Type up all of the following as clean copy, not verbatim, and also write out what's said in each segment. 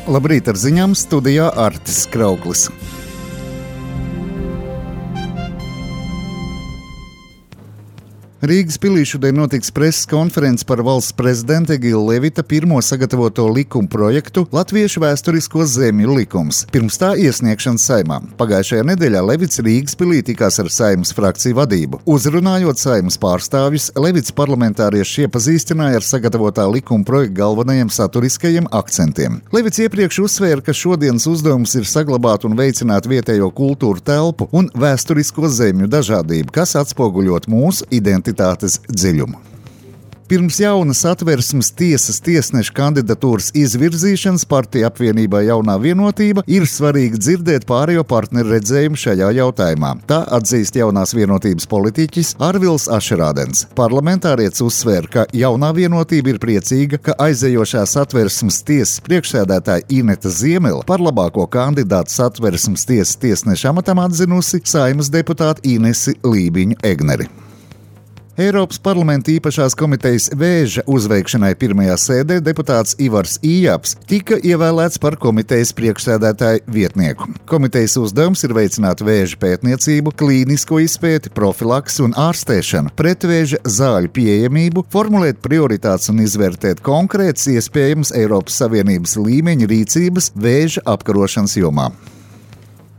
Labrīt, ar ziņām studijā Artis Krauklis. Rīgas pilī šodien notiks preses konferences par valsts prezidenta Egila Levita pirmo sagatavoto likuma projektu Latviešu vēsturisko zemju likums. Pirms tā iesniegšanas Saeimā. Pagājušajā nedēļā Levits Rīgas pilī tikās ar Saeimas frakciju vadību. Uzrunājot Saeimas pārstāvjus, Levits parlamentārieši iepazīstināja ar sagatavotā likuma projekta galvenajiem saturiskajiem akcentiem. Levits iepriekš uzsvēra, ka šodienas uzdevums ir saglabāt un veicināt vietējo kultūru telpu un vēsturisko zemju dažādību, kas atspoguļot mūsu identitātes dziļumu. Pirms jaunas Satversmes tiesas tiesneša kandidatūras izvirzīšanas partija apvienībā Jaunā Vienotība ir svarīgi dzirdēt pārējo partneru redzējumu šajā jautājumā. Tā atzīst Jaunās Vienotības politiķis Arvils Ašerādens. Parlamentārietis uzsvēra, ka Jaunā Vienotība ir priecīga, ka aizejošā Satversmes tiesas priekšsēdētāja Ineta Ziemele par labāko kandidātu Satversmes tiesas tiesneša amatam atzinusi Saeimas deputātu Inesi Lībiņu Egneri. Eiropas parlamenta īpašās komitejas vēža uzveikšanai pirmajā sēdē deputāts Ivars Ījāps tika ievēlēts par komitejas priekšsēdētāju vietnieku. Komitejas uzdevums ir veicināt vēža pētniecību, klīnisko izpēti, profilaksi un ārstēšanu, pretvēža zāļu pieejamību, formulēt prioritātes un izvērtēt konkrētas iespējamas Eiropas Savienības līmeņa rīcības vēža apkarošanas jomā.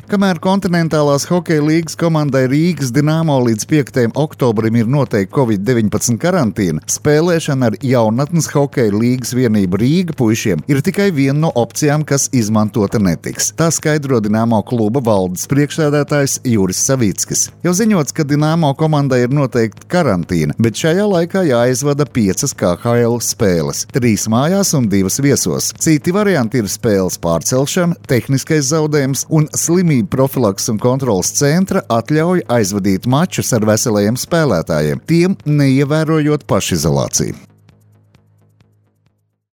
Kamēr kontinentālās hokeja līgas komandai Rīgas Dinamo līdz 5. oktobrim ir noteikta Covid-19 karantīna, spēlēšana ar jaunatnes hokeja līgas vienību Rīga puišiem ir tikai viena no opcijām, kas izmantota netiks. Tā skaidro Dinamo kluba valdes priekšsēdētājs Juris Savickis. Jau ziņots, ka Dinamo komandai ir noteikta karantīna, bet šajā laikā jāizvada 5 KHL spēles, 3 mājās un 2 viesos. Citi varianti ir spēles pārcelšana, tehniskais zaudējums un slimība profilaks un kontrolas centra atļauj aizvadīt mačus ar veselajiem spēlētājiem, tiem neievērojot pašizolāciju.